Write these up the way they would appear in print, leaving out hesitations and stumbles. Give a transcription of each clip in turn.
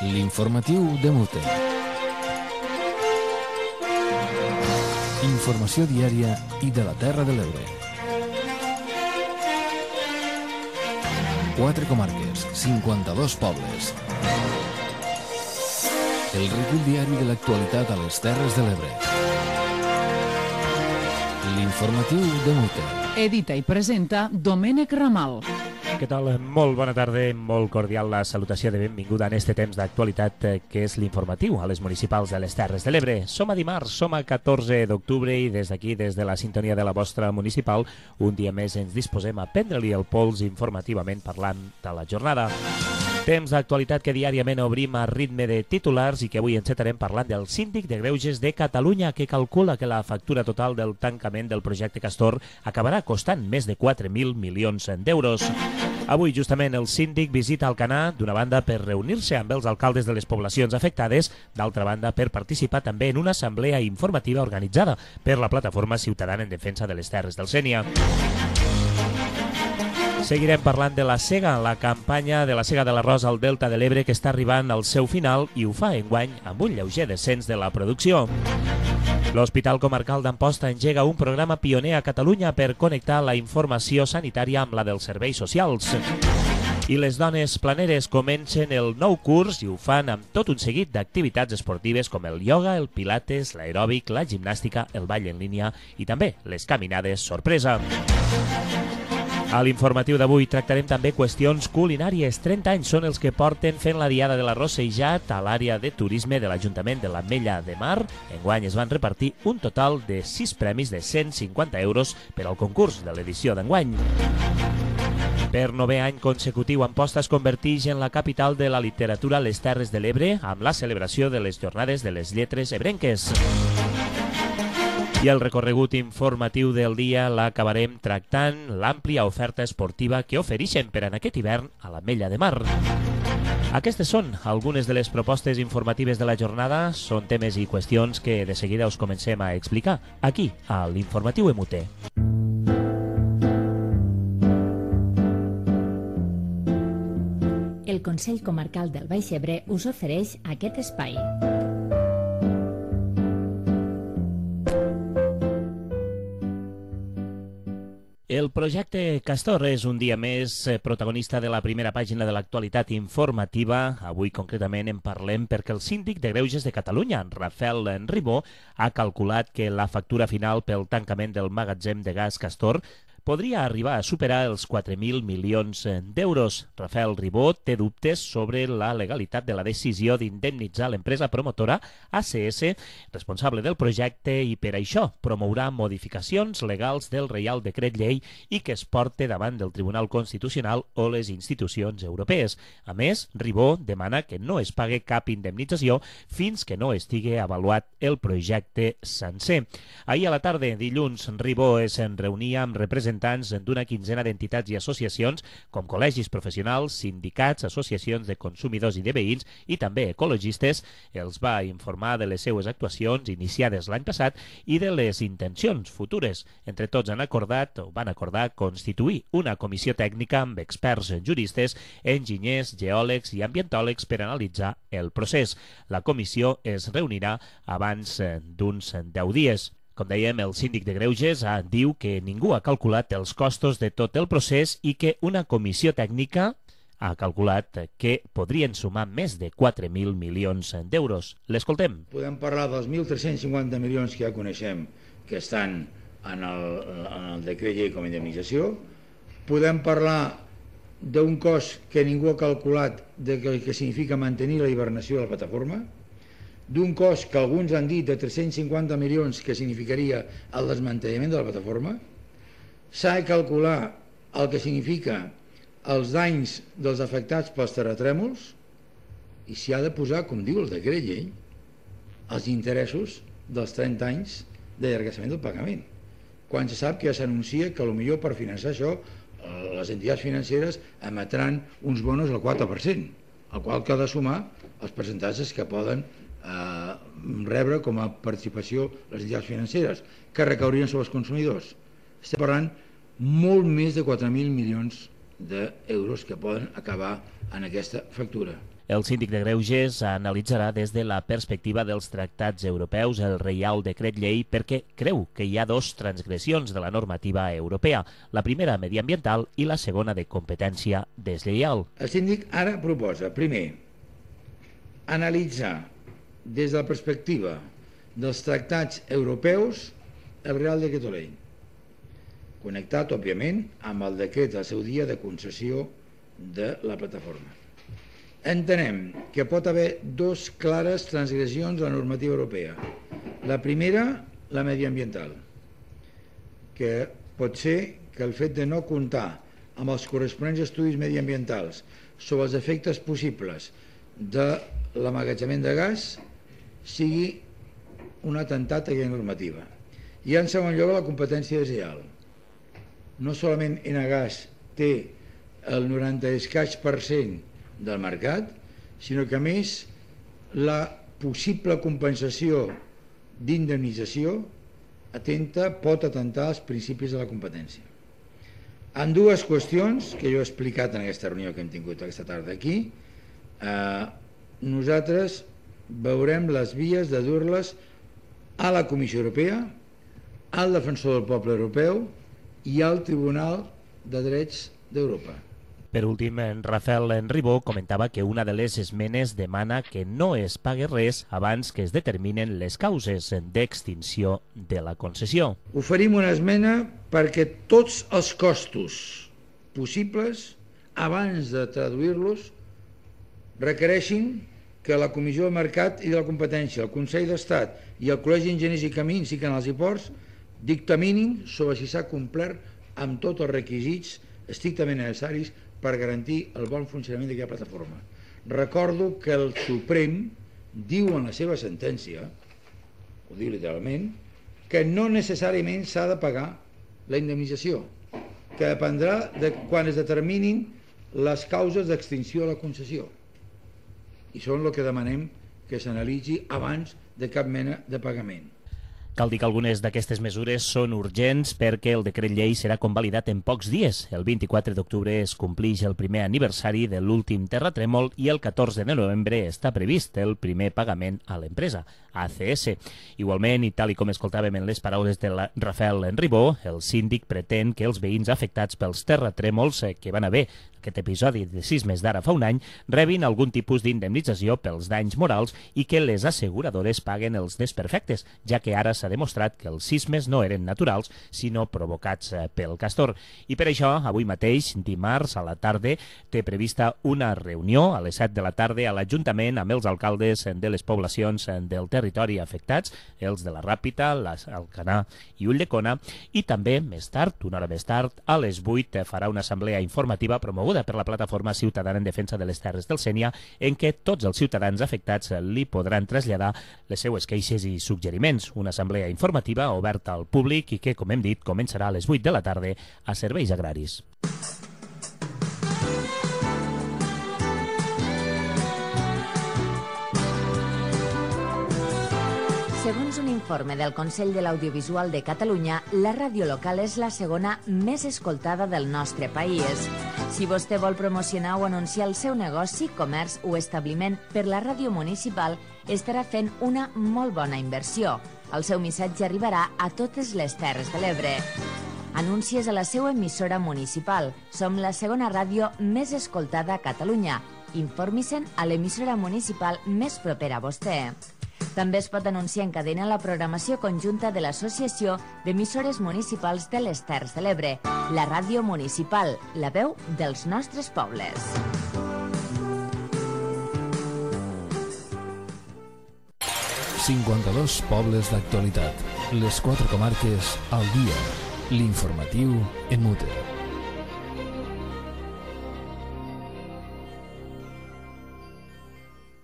L'informatiu de Mute. Informació diària i de la Terra de l'Ebre. 4 comarques, 52 pobles. El recull diari de l'actualitat a les Terres de l'Ebre. L'informatiu de Mute. Edita i presenta Domènec Ramal. Què tal? Molt bona tarda, molt cordial la salutació de benvinguda en este temps d'actualitat que és l'informatiu a les municipals de les Terres de l'Ebre. Som a dimarts, som a 14 d'octubre i des d'aquí, des de la sintonia de la vostra municipal, un dia més ens disposem a prendre-li el pols informativament parlant de la jornada. Temps d'actualitat que diàriament obrim a ritme de titulars i que avui encetarem parlant del síndic de Greuges de Catalunya, que calcula que la factura total del tancament del projecte Castor acabarà costant més de 4.000 milions d'euros. Avui, justament, el síndic visita Alcanar, d'una banda per reunir-se amb els alcaldes de les poblacions afectades, d'altra banda per participar també en una assemblea informativa organitzada per la Plataforma Ciutadana en Defensa de les Terres del Sénia. Seguirem parlant de la sega, la campanya de la sega de l'arròs al Delta de l'Ebre que està arribant al seu final i ho fa enguany amb un lleuger descens de la producció. L'Hospital Comarcal d'Amposta engega un programa pioner a Catalunya per connectar la informació sanitària amb la dels serveis socials. I les dones planeres comencen el nou curs i ho fan amb tot un seguit d'activitats esportives com el ioga, el pilates, l'aeròbic, la gimnàstica, el ball en línia i també les caminades sorpresa. A l'informatiu d'avui tractarem també qüestions culinàries. 30 anys són els que porten fent la Diada de l'Arròs Seixat a l'àrea de turisme de l'Ajuntament de l'Ametlla de Mar. Enguany es van repartir un total de 6 premis de 150 euros per al concurs de l'edició d'enguany. Per 9è any consecutiu, Amposta es converteix en la capital de la literatura a les Terres de l'Ebre amb la celebració de les Jornades de les Lletres Ebrenques. I el recorregut informatiu del dia l'acabarem tractant l'àmplia oferta esportiva que ofereixen per en aquest hivern a l'Ametlla de Mar. Aquestes són algunes de les propostes informatives de la jornada. Són temes i qüestions que de seguida us comencem a explicar aquí, a l'Informatiu MUT. El Consell Comarcal del Baix Ebre us ofereix aquest espai. El projecte Castor és un dia més protagonista de la primera pàgina de l'actualitat informativa. Avui concretament en parlem perquè el síndic de Greuges de Catalunya, Rafael Ribó, ha calculat que la factura final pel tancament del magatzem de gas Castor podria arribar a superar els 4.000 milions d'euros. Rafael Ribó té dubtes sobre la legalitat de la decisió d'indemnitzar l'empresa promotora ACS, responsable del projecte, i per això promourà modificacions legals del Reial Decret Llei i que es porte davant del Tribunal Constitucional o les institucions europees. A més, Ribó demana que no es pague cap indemnització fins que no estigui avaluat el projecte sencer. Ahir a la tarda, dilluns, Ribó es reunia amb representants d'una quinzena d'entitats i associacions com col·legis professionals, sindicats, associacions de consumidors i de veïns i també ecologistes. Els va informar de les seues actuacions iniciades l'any passat i de les intencions futures. Entre tots van acordar constituir una comissió tècnica amb experts juristes, enginyers, geòlegs i ambientòlegs per analitzar el procés. La comissió es reunirà abans d'uns 10 dies. Com dèiem, el síndic de Greuges diu que ningú ha calculat els costos de tot el procés i que una comissió tècnica ha calculat que podrien sumar més de 4.000 milions d'euros. L'escoltem. Podem parlar dels 1.350 milions que ja coneixem que estan en el decret llei com a indemnització. Podem parlar d'un cost que ningú ha calculat que significa mantenir la hibernació de la plataforma, d'un cost que alguns han dit de 350 milions que significaria el desmantellament de la plataforma. S'ha de calcular el que significa els danys dels afectats pels terratrèmols i s'hi ha de posar, com diu el decret llei, els interessos dels 30 anys d'allargassament del pagament. Quan se sap que ja s'anuncia que potser per finançar això les entitats financeres emetran uns bonos al 4%, al qual cal de sumar els percentatges que poden rebre com a participació les entitats financeres, que recaurien sobre els consumidors. Estem parlant molt més de 4.000 milions d'euros que poden acabar en aquesta factura. El síndic de Greuges analitzarà des de la perspectiva dels tractats europeus el Reial Decret Llei perquè creu que hi ha dos transgressions de la normativa europea, la primera mediambiental i la segona de competència deslleial. El síndic ara proposa, primer, analitzar des de la perspectiva dels tractats europeus el Reial Decret Llei, connectat, òbviament, amb el decret al seu dia de concessió de la plataforma. Entenem que pot haver dos clares transgressions de la normativa europea. La primera, la mediambiental, que pot ser que el fet de no comptar amb els corresponents estudis mediambientals sobre els efectes possibles de l'emmagatzemament de gas sigui un atemptat a aquella normativa. I en segon lloc, la competència deslleial. No solament Enagás té el 90% del mercat, sinó que a més la possible compensació d'indemnització pot atentar als principis de la competència. En dues qüestions que jo he explicat en aquesta reunió que hem tingut aquesta tarda aquí, nosaltres veurem les vies de dur-les a la Comissió Europea, al Defensor del Poble Europeu i al Tribunal de Drets d'Europa. Per últim, en Rafael Ribó comentava que una de les esmenes demana que no es pagui res abans que es determinen les causes d'extinció de la concessió. Oferim una esmena perquè tots els costos possibles, abans de traduir-los, requereixin que la Comissió del Mercat i de la Competència, el Consell d'Estat i el Col·legi d'Enginyers i Camins i Canals i Ports dictaminin sobre si s'ha complert amb tots els requisits estrictament necessaris per garantir el bon funcionament d'aquesta plataforma. Recordo que el Suprem diu en la seva sentència, ho diu literalment, que no necessàriament s'ha de pagar la indemnització, que dependrà de quan es determinin les causes d'extinció de la concessió. I són el que demanem que s'analitzi abans de cap mena de pagament. Cal dir que algunes d'aquestes mesures són urgents perquè el decret llei serà convalidat en pocs dies. El 24 d'octubre es complix el primer aniversari de l'últim terratrèmol i el 14 de novembre està previst el primer pagament a l'empresa, ACS. Igualment, i tal com escoltàvem en les paraules de Rafael Ribó, el síndic pretén que els veïns afectats pels terratrèmols que van haver aquest episodi de sismes d'ara fa un any rebin algun tipus d'indemnització pels danys morals i que les asseguradores paguen els desperfectes, ja que ara s'ha demostrat que els sismes no eren naturals, sinó provocats pel castor. I per això, avui mateix, dimarts a la tarda, té prevista una reunió a les 7 de la tarda a l'Ajuntament amb els alcaldes de les poblacions del territori afectats, els de la Ràpita, Alcanar i Ulldecona, i també més tard, una hora més tard, a les 8 farà una assemblea informativa promoguda per la Plataforma Ciutadana en Defensa de les Terres del Sénia, en què tots els ciutadans afectats li podran traslladar les seues queixes i suggeriments. Una assemblea informativa oberta al públic i que, com hem dit, començarà a les 8 de la tarda a Serveis Agraris. Segons un informe del Consell de l'Audiovisual de Catalunya, la ràdio local és la segona més escoltada del nostre país. Si vostè vol promocionar o anunciar el seu negoci, comerç o establiment per la ràdio municipal, estarà fent una molt bona inversió. El seu missatge arribarà a totes les Terres de l'Ebre. Anuncies a la seva emissora municipal. Som la segona ràdio més escoltada a Catalunya. Informi-se'n a l'emissora municipal més propera a vostè. També es pot anunciar en cadena la programació conjunta de l'Associació d'Emissores Municipals de les Terres de l'Ebre, la ràdio municipal, la veu dels nostres pobles. ...52 pobles d'actualitat. Les 4 comarques al dia. L'informatiu en Mute.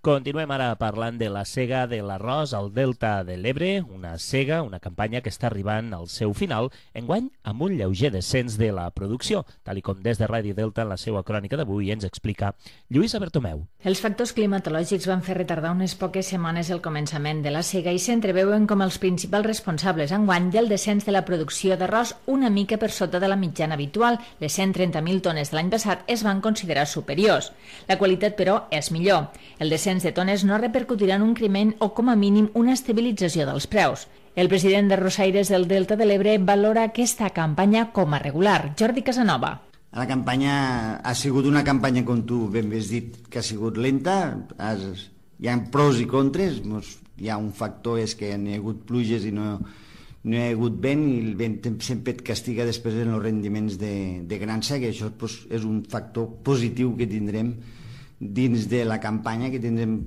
Continuem ara parlant de la sega de l'arròs al Delta de l'Ebre, una sega, una campanya que està arribant al seu final, enguany amb un lleuger descens de la producció, tal com des de Ràdio Delta en la seva crònica d'avui ens explica Lluïsa Bertomeu. Els factors climatològics van fer retardar unes poques setmanes el començament de la sega i s'entreveuen com els principals responsables enguany del descens de la producció d'arròs una mica per sota de la mitjana habitual. Les 130.000 tones de l'any passat es van considerar superiors. La qualitat, però, és millor. El descens de tones no repercutirà en un increment o, com a mínim, una estabilització dels preus. El president de Rosaires del Delta de l'Ebre valora aquesta campanya com a regular. Jordi Casanova. La campanya ha sigut una campanya, com tu ben has dit, que ha sigut lenta. Hi ha pros i contres. Hi ha un factor, és que n'hi ha hagut pluges i no hi ha hagut vent, i el vent sempre et castiga després en els rendiments de gran seca. Això és un factor positiu que tindrem dins de la campanya, que tindrem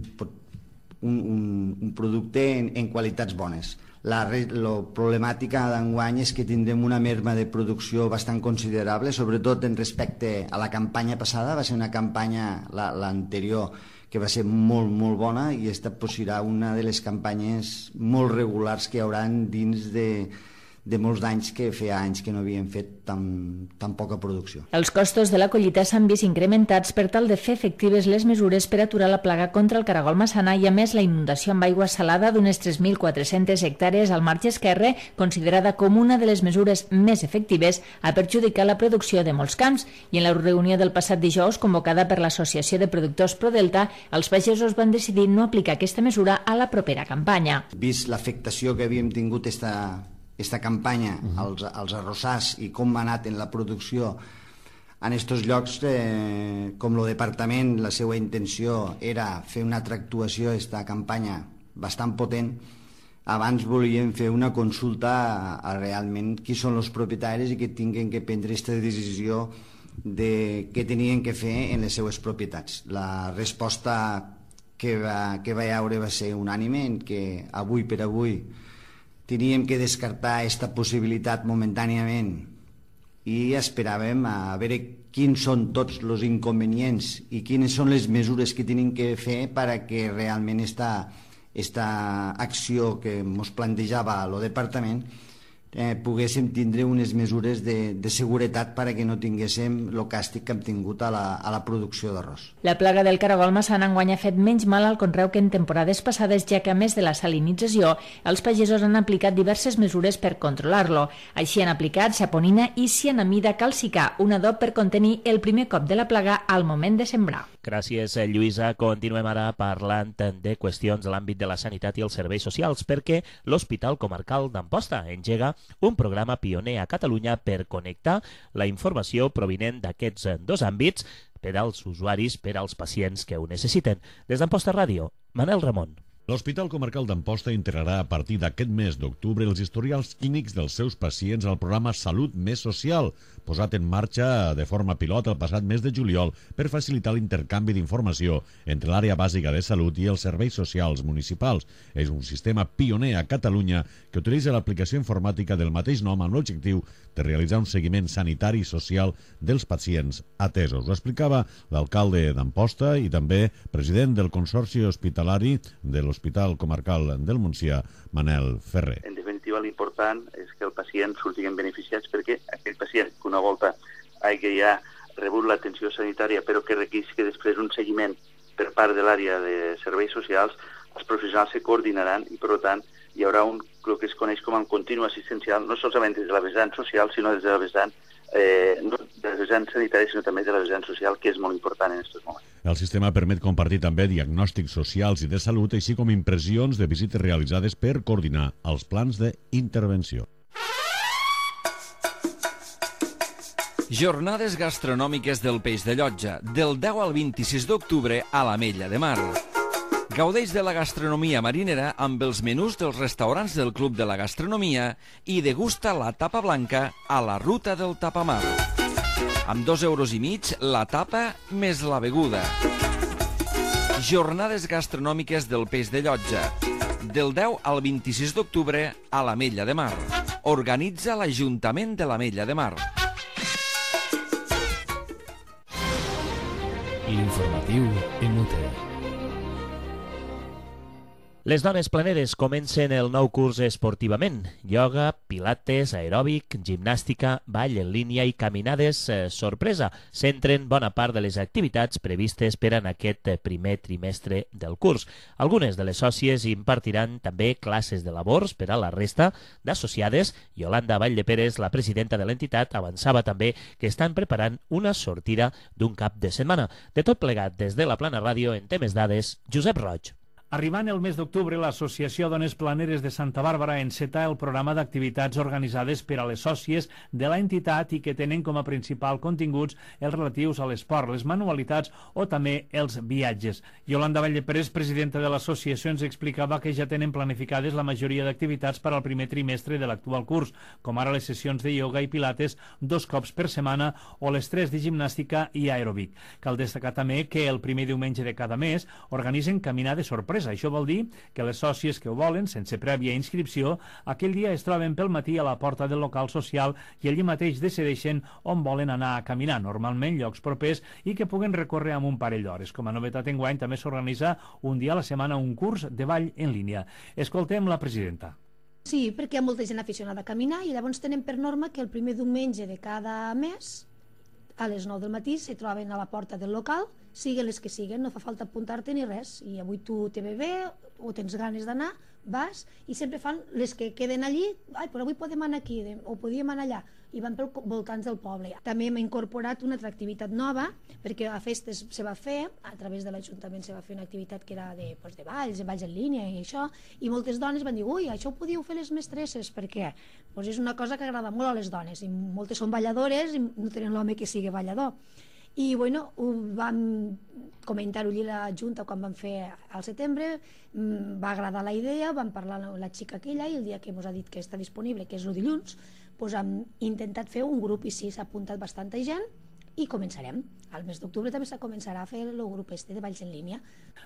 un producte en qualitats bones. La problemàtica d'enguany és que tindrem una merma de producció bastant considerable, sobretot en respecte a la campanya passada. Va ser una campanya, l'anterior, que va ser molt, molt bona, i aquesta serà una de les campanyes molt regulars que hi haurà dins de molts d'anys, que feia anys que no havien fet tan poca producció. Els costos de la collita s'han vist incrementats per tal de fer efectives les mesures per aturar la plaga contra el caragol massana, i a més la inundació amb aigua salada d'unes 3.400 hectàrees al marge esquerre, considerada com una de les mesures més efectives, ha perjudicat la producció de molts camps, i en la reunió del passat dijous, convocada per l'Associació de Productors ProDelta, els pagesos van decidir no aplicar aquesta mesura a la propera campanya. Vist l'afectació que havíem tingut aquesta campanya als arrossars i com ha anat en la producció en aquests llocs, com el departament, la seva intenció era fer una altra actuació a aquesta campanya bastant potent. Abans volíem fer una consulta a realment qui són els propietaris i que tinguin que prendre aquesta decisió de què tenien que fer en les seues propietats. La resposta que va haure va ser unànime, en què avui per avui teníem que descartar aquesta possibilitat momentàniament i esperàvem a veure quins són tots els inconvenients i quines són les mesures que tenim que fer perquè realment aquesta acció que ens plantejava el departament poguéssim tindre unes mesures de seguretat perquè no tinguéssim el càstig que hem tingut a la producció d'arròs. La plaga del caragol massana enguany ha fet menys mal al conreu que en temporades passades, ja que a més de la salinització, els pagesos han aplicat diverses mesures per controlar-lo. Així han aplicat saponina i cianamida calcicar, un adob per contenir el primer cop de la plaga al moment de sembrar. Gràcies, Lluïsa. Continuem ara parlant de qüestions de l'àmbit de la sanitat i els serveis socials, perquè l'Hospital Comarcal d'Amposta engega un programa pioner a Catalunya per connectar la informació provinent d'aquests dos àmbits per als usuaris, per als pacients que ho necessiten. Des d'Amposta Ràdio, Manel Ramon. L'Hospital Comarcal d'Amposta integrarà a partir d'aquest mes d'octubre els historials clínics dels seus pacients al programa Salut Més Social, posat en marxa de forma pilot el passat mes de juliol per facilitar l'intercanvi d'informació entre l'àrea bàsica de salut i els serveis socials municipals. És un sistema pioner a Catalunya que utilitza l'aplicació informàtica del mateix nom amb l'objectiu de realitzar un seguiment sanitari i social dels pacients atesos. Ho explicava l'alcalde d'Amposta i també president del Consorci Hospitalari de l'Hospital Comarcal del Montsià, Manel Ferrer. En definitiva, l'important és que el pacient surtin beneficiats, perquè aquell pacient que una volta hagi ja rebut l'atenció sanitària però que requeix que després un seguiment per part de l'àrea de serveis socials, els professionals se coordinaran i, per tant, hi haurà el que es coneix com el continu assistencial, no solament des de la vessant social, sinó des de la vessant no de la vessant sanitària, sinó també de la vessant social, que és molt important en aquests moments. El sistema permet compartir també diagnòstics socials i de salut, així com impressions de visites realitzades per coordinar els plans d'intervenció. Jornades gastronòmiques del Peix de Llotja, del 10 al 26 d'octubre a l'Ametlla de Mar. Gaudeix de la gastronomia marinera amb els menús dels restaurants del Club de la Gastronomia i degusta la tapa blanca a la Ruta del Tapamar. Amb 2,5 € la tapa més la beguda. Jornades gastronòmiques del Peix de Llotja, del 10 al 26 d'octubre a l'Ametlla de Mar. Organitza l'Ajuntament de l'Ametlla de Mar. L'informatiu MUT. Les dones planeres comencen el nou curs esportivament. Ioga, pilates, aeròbic, gimnàstica, ball en línia i caminades sorpresa. Centren bona part de les activitats previstes per en aquest primer trimestre del curs. Algunes de les sòcies impartiran també classes de labors per a la resta d'associades. Yolanda Valldeperes, la presidenta de l'entitat, avançava també que estan preparant una sortida d'un cap de setmana. De tot plegat, des de la Plana Ràdio, en temes dades, Josep Roig. Arribant el mes d'octubre, l'Associació Dones Planeres de Santa Bàrbara enceta el programa d'activitats organitzades per a les sòcies de l'entitat i que tenen com a principal continguts els relatius a l'esport, les manualitats o també els viatges. Yolanda Valldeperes, presidenta de l'associació, ens explicava que ja tenen planificades la majoria d'activitats per al primer trimestre de l'actual curs, com ara les sessions de ioga i pilates 2 cops per setmana o les 3 de gimnàstica i aeròbic. Cal destacar també que el primer diumenge de cada mes organitzen caminades sorpresa. Això vol dir que les sòcies que ho volen, sense prèvia inscripció, aquell dia es troben pel matí a la porta del local social i allí mateix decideixen on volen anar a caminar, normalment llocs propers i que puguen recórrer amb un parell d'hores. Com a novetat enguany també s'organitza un dia a la setmana un curs de ball en línia. Escoltem la presidenta. Sí, perquè hi ha molta gent aficionada a caminar i llavors tenen per norma que el primer diumenge de cada mes a les 9 del matí se troben a la porta del local, siguen les que siguen, no fa falta apuntar-te ni res, i avui tu te ve bé o tens ganes d'anar, vas, i sempre fan les que queden allí, però avui podem anar aquí, o podíem anar allà, i van pel voltants del poble. També hem incorporat una altra activitat nova, perquè a festes se va fer, a través de l'Ajuntament se va fer una activitat que era de balls en línia i això, i moltes dones van dir, ui, això ho podíeu fer les mestresses, perquè és una cosa que agrada molt a les dones, i moltes són balladores i no tenen l'home que sigui ballador. I bueno, ho vam comentar-ho allí a la Junta quan vam fer al setembre, va agradar la idea, vam parlar amb la xica aquella i el dia que ens ha dit que està disponible, que és el dilluns, doncs hem intentat fer un grup i sí, s'ha apuntat bastanta gent i començarem. Al mes d'octubre també s'ha començarà a fer el grup de balls en línia.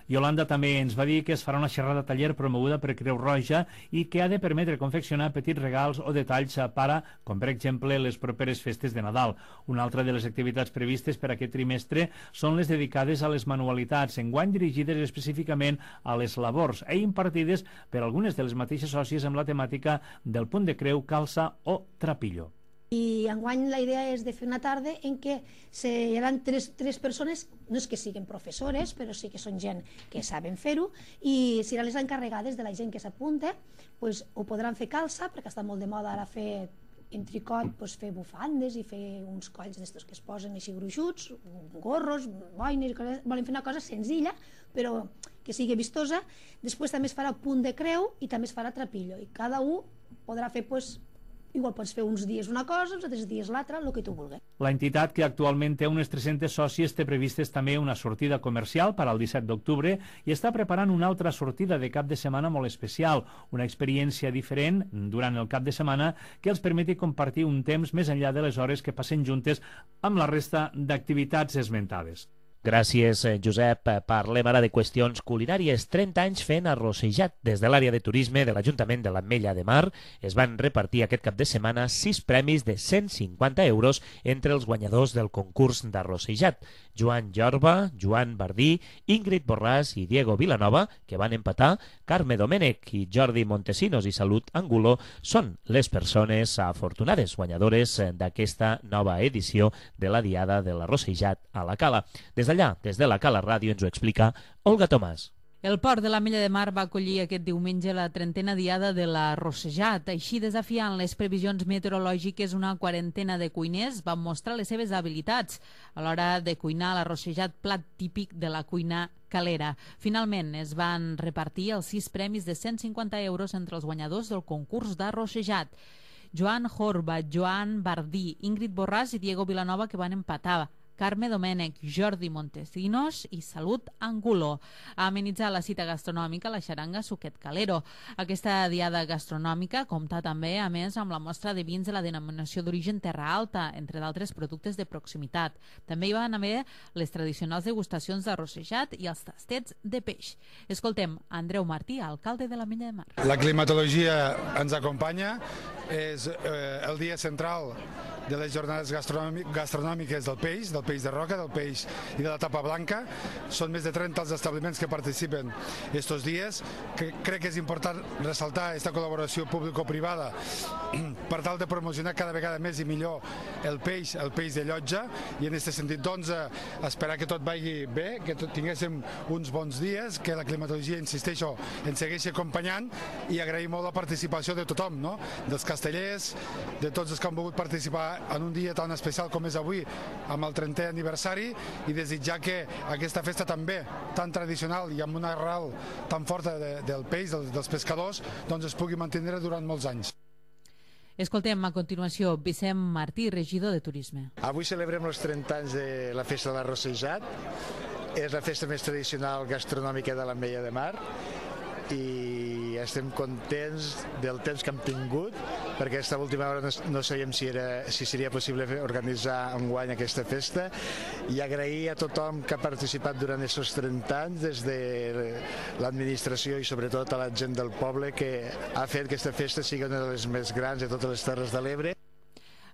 Yolanda també ens va dir que es farà una xerrada taller promoguda per Creu Roja i que ha de permetre confeccionar petits regals o detalls para, com per exemple les properes festes de Nadal. Una altra de les activitats previstes per aquest trimestre són les dedicades a les manualitats, enguany dirigides específicament a les labors i impartides per algunes de les mateixes sòcies amb la temàtica del punt de creu, calça o trapillo. I enguany la idea és de fer una tarda en què hi haurà tres persones, no és que siguin professores, però sí que són gent que saben fer-ho, i seran les encarregades de la gent que s'apunta, ho podran fer calça, perquè està molt de moda ara fer en tricot, fer bufandes i fer uns colls d'estos que es posen així gruixuts, gorros, boines, volen fer una cosa senzilla, però que sigui vistosa. Després també es farà punt de creu i també es farà trapillo, i cada un podrà fer igual pots fer uns dies una cosa, uns altres dies l'altra, el que tu vulguis. La entitat, que actualment té unes 300 sòcies, té previstes també una sortida comercial per al 17 d'octubre i està preparant una altra sortida de cap de setmana molt especial, una experiència diferent durant el cap de setmana que els permeti compartir un temps més enllà de les hores que passen juntes amb la resta d'activitats esmentades. Gràcies, Josep. Parlem ara de qüestions culinàries. 30 anys fent arrossejat. Des de l'àrea de turisme de l'Ajuntament de l'Ametlla de Mar es van repartir aquest cap de setmana 6 premis de 150 euros entre els guanyadors del concurs d'arrossejat. Joan Jorba, Joan Bardí, Ingrid Borràs i Diego Vilanova, que van empatar, Carme Domènech i Jordi Montesinos i Salut Angulo són les persones afortunades guanyadores d'aquesta nova edició de la Diada de l'Arrossejat a la Cala. Des de la Cala Ràdio, ens ho explica Olga Tomàs. El port de l'Ametlla de Mar va acollir aquest diumenge la 30a diada de l'Arrossejat. Així, desafiant les previsions meteorològiques, una quarantena de cuiners van mostrar les seves habilitats a l'hora de cuinar l'arrossejat, plat típic de la cuina calera. Finalment, es van repartir els 6 premis de 150 euros entre els guanyadors del concurs d'arrossejat. Joan Jorba, Joan Bardí, Ingrid Borràs i Diego Vilanova, que van empatar. Carme Domènech, Jordi Montesinos i Salut Angulo. A amenitzar la cita gastronòmica, la xaranga Suquet Calero. Aquesta diada gastronòmica compta també, a més, amb la mostra de vins de la denominació d'origen Terra Alta, entre d'altres productes de proximitat. També hi van haver les tradicionals degustacions d'arrossejat i els tastets de peix. Escoltem Andreu Martí, alcalde de l'Ametlla de Mar. La climatologia ens acompanya, és el dia central de les jornades gastronòmiques del peix del peix de roca, del peix i de la tapa blanca. Són més de 30 els establiments que participen estos dies. Crec que és important ressaltar aquesta col·laboració público-privada per tal de promocionar cada vegada més i millor el peix de llotja, i en aquest sentit doncs esperar que tot vagi bé, que tinguéssim uns bons dies, que la climatologia, insisteixo, ens segueixi acompanyant, i agrair molt la participació de tothom, no? Dels castellers, de tots els que han volgut participar en un dia tan especial com és avui, amb el 30è aniversari, i desitjar que aquesta festa també, tan tradicional i amb una arrel tan forta del peix, dels pescadors, doncs es pugui mantenir durant molts anys. Escoltem a continuació Vicent Martí, regidor de Turisme. Avui celebrem els 30 anys de la Festa de l'Arrossejat. És la festa més tradicional gastronòmica de l'Ametlla de Mar, i estem contents del temps que hem tingut, perquè aquesta última hora no sabíem si seria possible organitzar enguany aquesta festa, i agrair a tothom que ha participat durant aquests 30 anys, des de l'administració i sobretot a la gent del poble, que ha fet que aquesta festa sigui una de les més grans de totes les Terres de l'Ebre.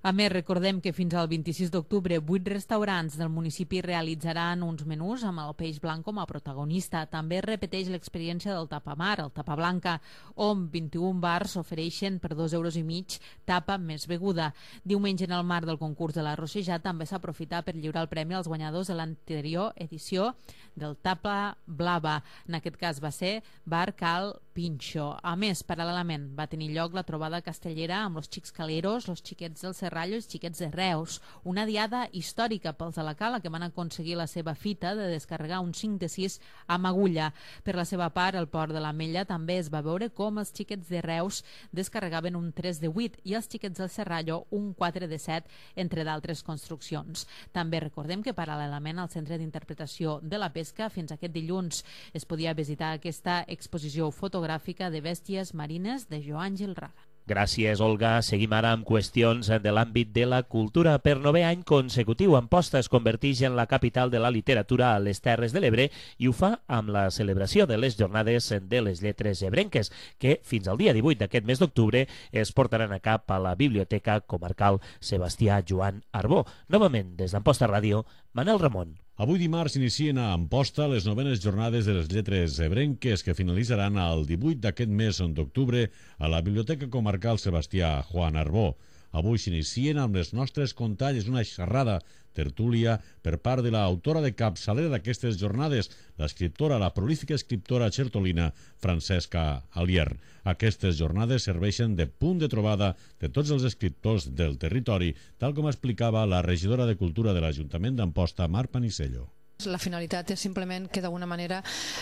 A més, recordem que fins al 26 d'octubre 8 restaurants del municipi realitzaran uns menús amb el peix blanc com a protagonista. També es repeteix l'experiència del tapamar, el tapa blanca, on 21 bars ofereixen per 2,5 € tapa més beguda. Diumenge, en el marc del concurs de l'Arrossejat, també s'aprofita per lliurar el premi als guanyadors de l'anterior edició del tapa blava. En aquest cas va ser Bar Cal Pinxo. A més, paral·lelament, va tenir lloc la trobada castellera amb los xics caleros, los xiquets del Serrallo i els xiquets de Reus. Una diada històrica pels de la Cala, que van aconseguir la seva fita de descarregar un 5 de 6 amb agulla. Per la seva part, al Port de l'Ametlla també es va veure com els xiquets de Reus descarregaven un 3 de 8 i els xiquets del Serrallo un 4 de 7, entre d'altres construccions. També recordem que paral·lelament al Centre d'Interpretació de la Pesca, fins aquest dilluns es podia visitar aquesta exposició fotogràfica de bèsties marines de Joan Gil Raga. Gràcies, Olga. Seguim ara amb qüestions de l'àmbit de la cultura. Per 9è any consecutiu, Amposta es converteix en la capital de la literatura a les Terres de l'Ebre, i ho fa amb la celebració de les Jornades de les Lletres Ebrenques, que fins al dia 18 d'aquest mes d'octubre es portaran a cap a la Biblioteca Comarcal Sebastià Joan Arbó. Novament, des d'Amposta Ràdio, Manel Ramon. Avui dimarts s'inicien a Amposta les 9enes Jornades de les Lletres Ebrenques, que finalitzaran el 18 d'aquest mes d'octubre a la Biblioteca Comarcal Sebastià Joan Arbó. Avui s'inicien amb les nostres contalles, una xerrada tertúlia per part de l'autora de capçalera d'aquestes jornades, la prolífica escriptora xertolina Francesca Alier. Aquestes jornades serveixen de punt de trobada de tots els escriptors del territori, tal com explicava la regidora de Cultura de l'Ajuntament d'Amposta, Mar Panisello. La finalitat és simplement que d'alguna manera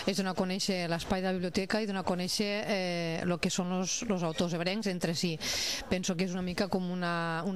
és donar a conèixer l'espai de la biblioteca i donar a conèixer el que són els autors ebrencs entre si. Penso que és una mica com un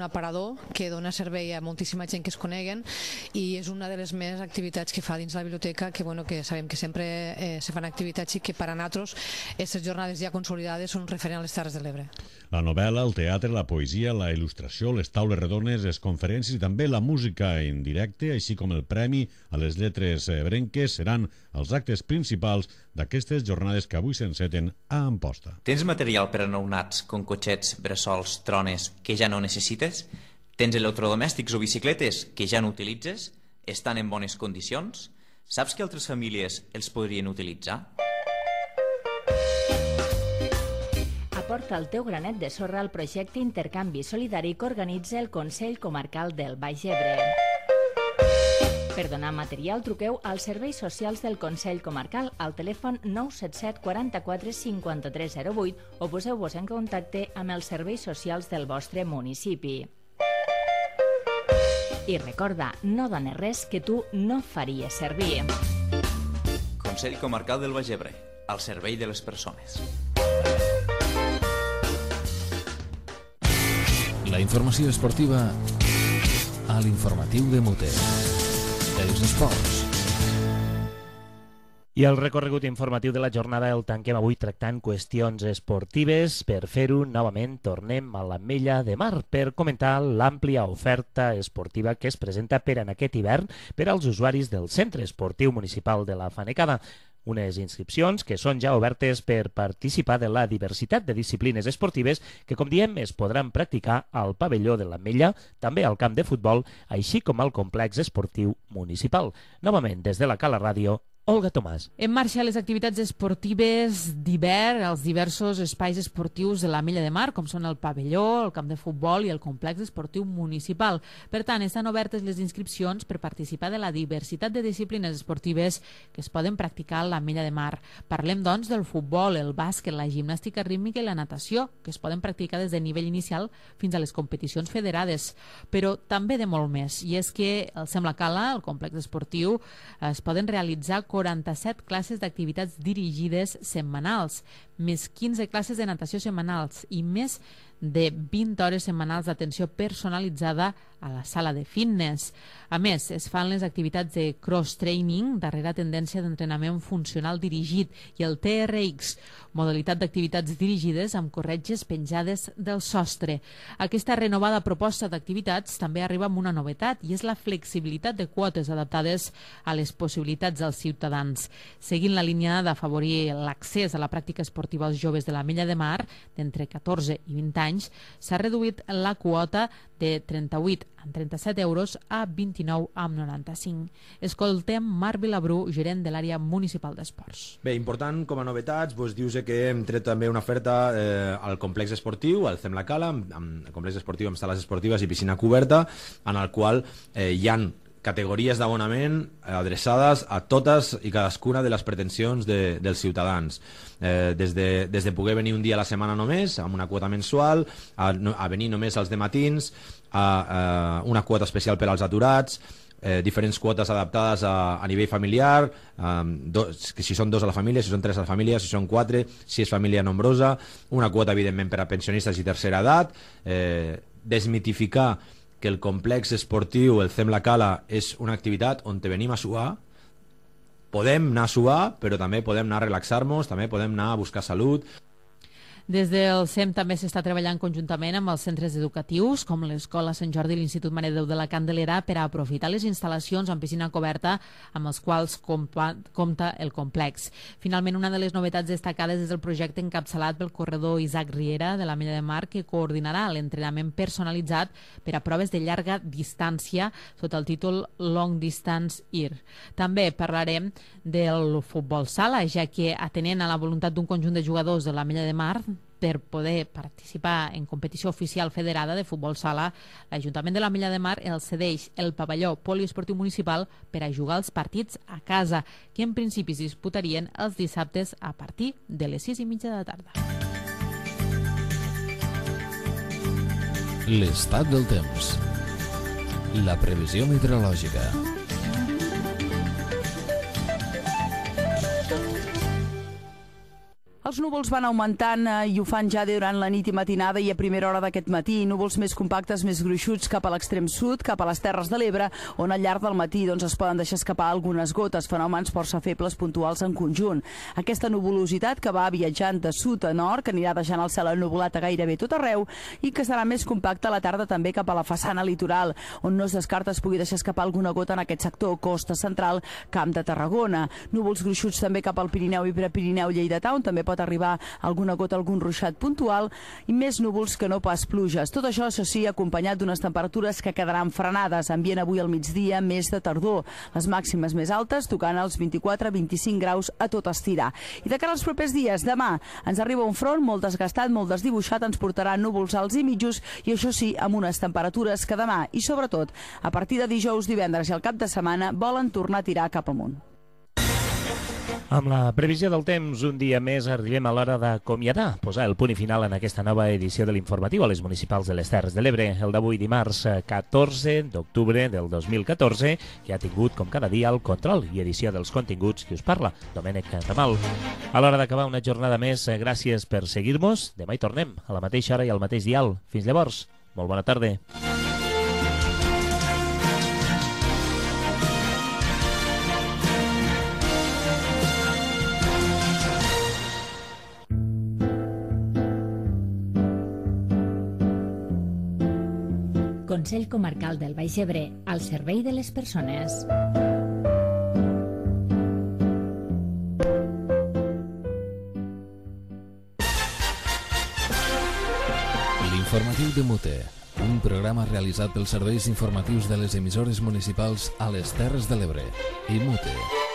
aparador que dona servei a moltíssima gent que es coneguen, i és una de les més activitats que fa dins la biblioteca, que sabem que sempre se fan activitats i que per a nosaltres aquestes jornades ja consolidades són un referent a les Terres de l'Ebre. La novel·la, el teatre, la poesia, la il·lustració, les taules redones, les conferències i també la música en directe, així com el premi a les lletres ebrenques, seran els actes principals d'aquestes jornades que avui s'enceten a Amposta. Tens material per a nounats, com cotxets, bressols, trones, que ja no necessites? Tens electrodomèstics o bicicletes que ja no utilitzes? Estan en bones condicions? Saps que altres famílies els podrien utilitzar? Aporta el teu granet de sorra al projecte Intercanvi Solidari que organitza el Consell Comarcal del Baix Ebre. Per donar material, truqueu als serveis socials del Consell Comarcal al telèfon 977 44 53 08 o poseu-vos en contacte amb els serveis socials del vostre municipi. I recorda, no dones res que tu no faries servir. Consell Comarcal del Baix Ebre, al servei de les persones. La informació esportiva a l'informatiu de Muter. Els esports. I el recorregut informatiu de la jornada el tanquem avui tractant qüestions esportives. Per fer-ho, novament, tornem a l'Ametlla de Mar per comentar l'àmplia oferta esportiva que es presenta per en aquest hivern per als usuaris del Centre Esportiu Municipal de la Fanecada. Unes inscripcions que són ja obertes per participar de la diversitat de disciplines esportives que, com diem, es podran practicar al pavelló de l'Ametlla, també al camp de futbol, així com al complex esportiu municipal. Novament, des de la Cala Ràdio, Olga Tomàs. En marxa les activitats esportives d'hivern als diversos espais esportius de l'Ametlla de Mar, com són el pavelló, el camp de futbol i el complex esportiu municipal. Per tant, estan obertes les inscripcions per participar de la diversitat de disciplines esportives que es poden practicar a l'Ametlla de Mar. Parlem, doncs, del futbol, el bàsquet, la gimnàstica rítmica i la natació, que es poden practicar des de nivell inicial fins a les competicions federades, però també de molt més. I és que al Sem la Cala, el complex esportiu, es poden realitzar 47 classes d'activitats dirigides setmanals, més 15 classes de natació setmanals i més de 20 hores setmanals d'atenció personalitzada a la sala de fitness. A més, es fan les activitats de cross-training, darrera tendència d'entrenament funcional dirigit, i el TRX, modalitat d'activitats dirigides amb corretges penjades del sostre. Aquesta renovada proposta d'activitats també arriba amb una novetat, i és la flexibilitat de quotes adaptades a les possibilitats dels ciutadans. Seguint la línia d'afavorir l'accés a la pràctica esportiva als joves de l'Ametlla de Mar, d'entre 14 i 20 anys, s'ha reduït la quota de 38 amb 37 euros a 29,95. Escoltem Marc Vilabrú, gerent de l'àrea municipal d'esports. Bé, important com a novetats, dius que hem tret també una oferta al complex esportiu, al Sem la Cala, amb complex esportiu amb sales esportives i piscina coberta, en el qual hi han categories d'abonament adreçades a totes i cadascuna de les pretensions dels ciutadans. Des de poder venir un dia a la setmana només, amb una quota mensual, a venir només els dematins, a una quota especial per als aturats, diferents quotes adaptades a nivell familiar, si són 2 a la família, si són 3 a la família, si són 4, si és família nombrosa, una quota evidentment per a pensionistes i tercera edat, desmitificar que el complex esportiu, el Sem la Cala, és una activitat on te venim a suar. Podem anar a suar, però també podem anar a relaxar-nos, també podem anar a buscar salut. Des del SEM també s'està treballant conjuntament amb els centres educatius, com l'Escola Sant Jordi i l'Institut Mare de Déu de la Candelera, per a aprofitar les instal·lacions amb piscina coberta amb els quals compta el complex. Finalment, una de les novetats destacades és el projecte encapçalat pel corredor Isaac Riera de l'Ametlla de Mar, que coordinarà l'entrenament personalitzat per a proves de llarga distància sota el títol Long Distance IR. També parlarem del futbol sala, ja que atenent a la voluntat d'un conjunt de jugadors de l'Ametlla de Mar per poder participar en competició oficial federada de futbol sala, l'Ajuntament de l'Ametlla de Mar els cedeix el pavelló poliesportiu municipal per a jugar els partits a casa, que en principi es disputarien els dissabtes a partir de les 6:30 de la tarda. L'estat del temps. La previsió meteorològica. Els núvols van augmentant i ho fan ja durant la nit i matinada i a primera hora d'aquest matí. Núvols més compactes, més gruixuts cap a l'extrem sud, cap a les Terres de l'Ebre, on al llarg del matí es poden deixar escapar algunes gotes, fenòmens força febles puntuals en conjunt. Aquesta nuvolositat que va viatjant de sud a nord, que anirà deixant el cel ennuvolat a gairebé tot arreu i que serà més compacta a la tarda també cap a la façana litoral, on no es descarta es pugui deixar escapar alguna gota en aquest sector, costa central, Camp de Tarragona. Núvols gruixuts també cap al Pirineu i Prepirineu lleidatà, on també pot arribar alguna gota, algun ruixat puntual, i més núvols que no pas pluges. Tot això, això sí, acompanyat d'unes temperatures que quedaran frenades. Ambient avui al migdia més de tardor. Les màximes més altes tocant els 24-25 graus a tot estirar. I de cara als propers dies, demà ens arriba un front molt desgastat, molt desdibuixat, ens portarà núvols alts i mitjos, i això sí, amb unes temperatures que demà i sobretot a partir de dijous, divendres i el cap de setmana volen tornar a tirar cap amunt. Amb la previsió del temps, un dia més arribem a l'hora d'acomiadar, posar el punt i final en aquesta nova edició de l'informatiu a les municipals de les Terres de l'Ebre, el d'avui dimarts 14 d'octubre del 2014, que ha tingut, com cada dia, el control i edició dels continguts qui us parla, Domènec Ramal. A l'hora d'acabar una jornada més, gràcies per seguir-nos. Demà hi tornem, a la mateixa hora i al mateix dial. Fins llavors, molt bona tarda. Consell Comarcal del Baix Ebre, al servei de les persones. L'informatiu de Mute, un programa realitzat pels serveis informatius de les emissores municipals a les Terres de l'Ebre i Mute.